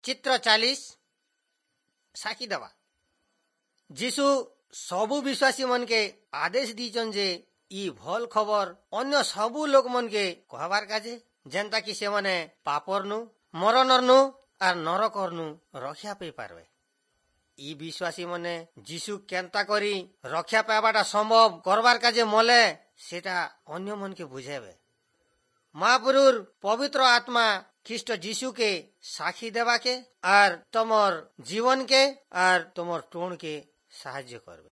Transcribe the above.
ଚିତ୍ର 40, ସାକ୍ଷୀ ଦେବା। ଯୀଶୁ ସବୁ ବିଶ୍ୱାସୀ ମନକେ ଆଦେଶ ଦେଇଛନ୍ ଯେ ଇ ଭଲ ଖବର ଅନ୍ୟ ସବୁ ଲୋକ ମନକେ କହବାର କାଜେ, ଯେନ୍ତା କି ସେମାନେ ପାପରନୁ, ମରଣରନୁ ଆର୍ ନରକରନୁ ରକ୍ଷା ପାଇ ପାରବେ। ଇ ବିଶ୍ୱାସୀ ମାନେ ଯୀଶୁ କେନ୍ତା କରି ରକ୍ଷା ପାଇବାଟା ସମ୍ଭବ କରବାର କାଜେ ମଲେ, ସେଟା ଅନ୍ୟ ମନକେ ବୁଝାଇବେ। ମହାପୁରୁର ପବିତ୍ର ଆତ୍ମା ଖ୍ରୀଷ୍ଟ ଯୀଶୁକେ ସାକ୍ଷୀ ଦେବାକେ ଆର୍ ତମର ଜୀବନକେ ଆର୍ ତମର ଟୋଣକେ ସାହାଯ୍ୟ କରବେ।